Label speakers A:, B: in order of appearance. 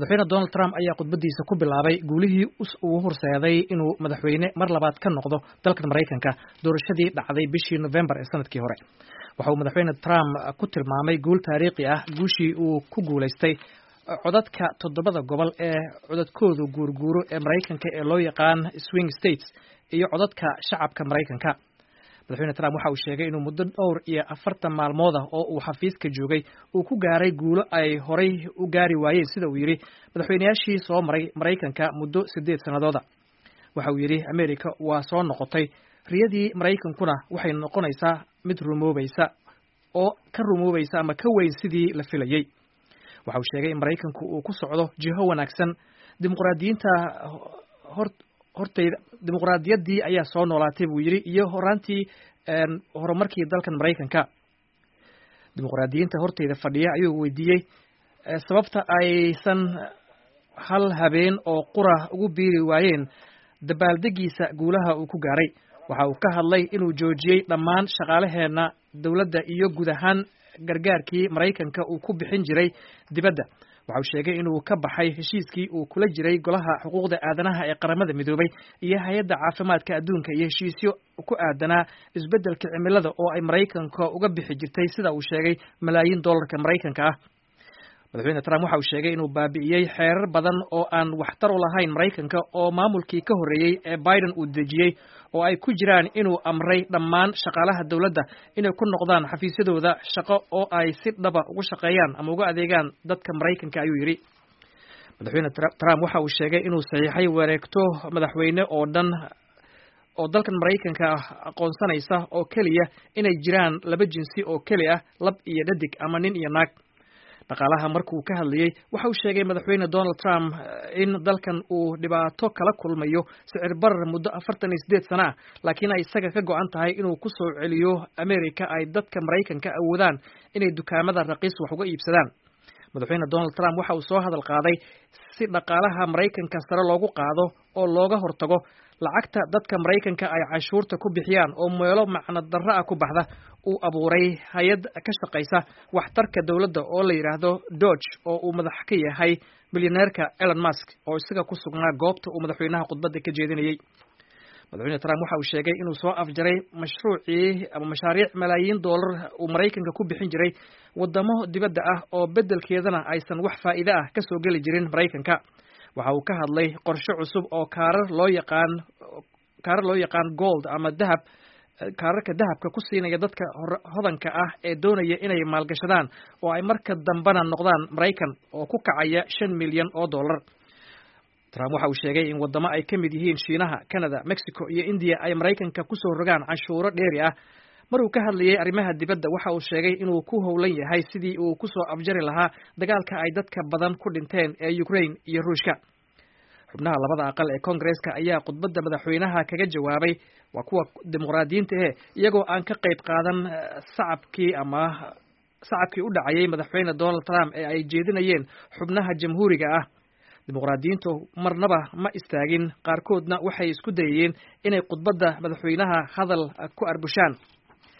A: Madaxweyne Donald Trump ayaa khudbadiisa ku bilaabay guulihii uu horseeday inuu madaxweyne mar labaad ka noqdo dalkan Maraykanka doorashadii dhacday bishii Novembar ee sanadkii hore. Waxa uu Madaxweyne Trump ku tilmaamay guul taariikhi ah guushii uu ku guulaystay codadka toddobada gobol ee codadkoodu guurguuro ee Maraykanka ee loo yaqaan swing states iyo codadka shacabka Maraykanka. Madaxweyne Trump waxa uu sheegay inuu muddo dhowr iyo 40 maalmood ah oo uu xafiiska joogay uu ku gaaray guulo ay horay u gaari waayeen, sida uu yidhi, madaxweynayaashii soo maray Maraykanka muddo 8 sannadooda. Waxa uu yidhi America waa soo noqotay, riyadii Maraykankuna waxay noqonaysaa mid rumoobaysa oo ka rumoobaysa ama ka weyn sidii la filayey. Waxa uu sheegay in Maraykanku uu ku socdo jiho wanaagsan. Dimuqraadiyiinta hor hortayda dimuqraadiyaddii ayaa soo noolaatay, buu yidhi, iyo horaantii horumarkii dalkan Maraykanka. Dimuqraadiyiinta hortayda fadhiya ayuu weydiiyey sababta aysan hal habeen oo qura ugu biiri waayeen dabaaldegiisa guulaha uu ku gaaray. Waxa uu ka hadlay inuu joojiyey dhammaan shaqaalaheenna dowladda iyo guud ahaan gargaarkii Maraykanka uu ku bixin jiray dibadda. Waxa uu sheegay inuu ka baxay heshiiskii uu kula jiray Golaha Xuquuqda Aadanaha ee Qaramada Midoobay iyo Hay-adda Caafimaadka Adduunka iyo heshiisyo ku aadanaa isbeddelka cimilada oo ay Maraykanka uga bixi jirtay, sida uu sheegay, malaayiin dollarka Maraykanka ah. Madaxweyne Trump waxa uu sheegay inuu baabi'iyey xeerar badan oo aan waxtar u lahayn Maraykanka oo maamulkii ka horreeyey ee Biden uu dejiyey, oo ay ku jiraan inuu amray dhammaan shaqaalaha dowladda inay ku noqdaan xafiisyadooda shaqo oo ay si dhaba ugu shaqeeyaan ama uga adeegaan dadka Maraykanka, ayuu yidhi. Madaxweyne Trump waxa uu sheegay inuu saxiixay wareegto madaxweyne oo dhan oo dalkan Maraykanka ah aqoonsanaysa oo keliya inay jiraan laba jinsi oo keli ah, lab iyo dhadig ama nin iyo naag. Dhaqaalaha markuu ka hadlayey, waxa uu sheegay Madaxweyne Donald Trump in dalkan uu dhibaato kala kulmayo sicir barar muddo 48 sano ah, laakiin ay isaga ka go-an tahay inuu ku soo celiyo America ay dadka Maraykanka awoodaan inay dukaamada raqiis wax uga iibsadaan. Madaxweyne Donald Trump waxa uu soo hadal qaaday si dhaqaalaha Maraykanka sare loogu qaado oo looga hortago lacagta dadka Maraykanka ay canshuurta ku bixiyaan oo meelo macno darro ah ku baxda, uu abuuray hay-ad ka shaqaysa waxtarka dowladda oo la yidhaahdo DOGE, oo uu madax ka yahay milyaneerka Elon Musk oo isaga ku sugnaa goobta uu madaxweynaha khudbadda ka jeedinayey. Madaxweyne Trump waxa uu sheegay inuu soo afjaray mashruucii ama mashaariic malaayiin dollar uu Maraykanka ku bixin jiray wadamo dibadda ah oo beddelkeedana aysan wax faa'iide ah ka soo geli jirin Maraykanka. Waxa uu ka hadlay qorshe cusub oo kaarar loo yaqaan gold ama dahab, kaararka dahabka ku siinaya dadka hodanka ah ee doonaya inay maalgashadaan oo ay marka dambena noqdaan Maraykan, oo ku kacaya 5 milyan oo dollar. Trump waxa uu sheegay in wadamo ay ka mid yihiin Shiinaha, Canada, Mexico iyo India ay Maraykanka kusoo rogaan canshuuro dheeri ah. Mar uu ka hadlayay arrimaha dibadda, waxa uu sheegay inuu ku howlan yahay sidii uu kusoo afjari lahaa dagaalka ay dadka badan ku dhinteen ee Ukraine iyo Ruushka. Xubnaha labada aqal ee Koongareeska ayaa khudbadda madaxweynaha kaga jawaabay, waa kuwa Dimuqraadiyiinta eh, iyagoo aan ka qayb qaadan sacabkii ama sacabkii u dhacayay Madaxweyne Donald Trump ee ay jeedinayeen xubnaha Jamhuuriga ah. Dimuqraadiyiintu marnaba ma istaagin, qaarkoodna waxay isku dayayeen inay khudbadda madaxweynaha hadal ku arbushaan.